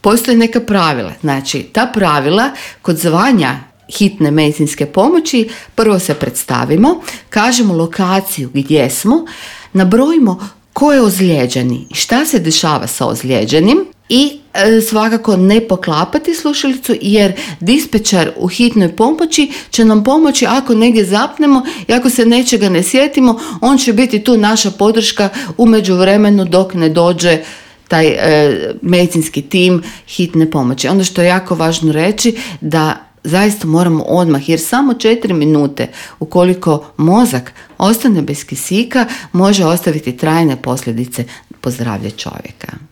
Postoje neka pravila. Znači, ta pravila kod zvanja hitne medicinske pomoći, prvo se predstavimo, kažemo lokaciju gdje smo, nabrojimo ko je ozlijeđeni i šta se dešava sa ozlijeđenim i svakako ne poklapati slušalicu, jer dispečar u hitnoj pomoći će nam pomoći ako negdje zapnemo i ako se nečega ne sjetimo, on će biti tu naša podrška u međuvremenu dok ne dođe taj medicinski tim hitne pomoći. Ono što je jako važno reći, da zaista moramo odmah, jer samo 4 minute ukoliko mozak ostane bez kisika može ostaviti trajne posljedice po zdravlje čovjeka.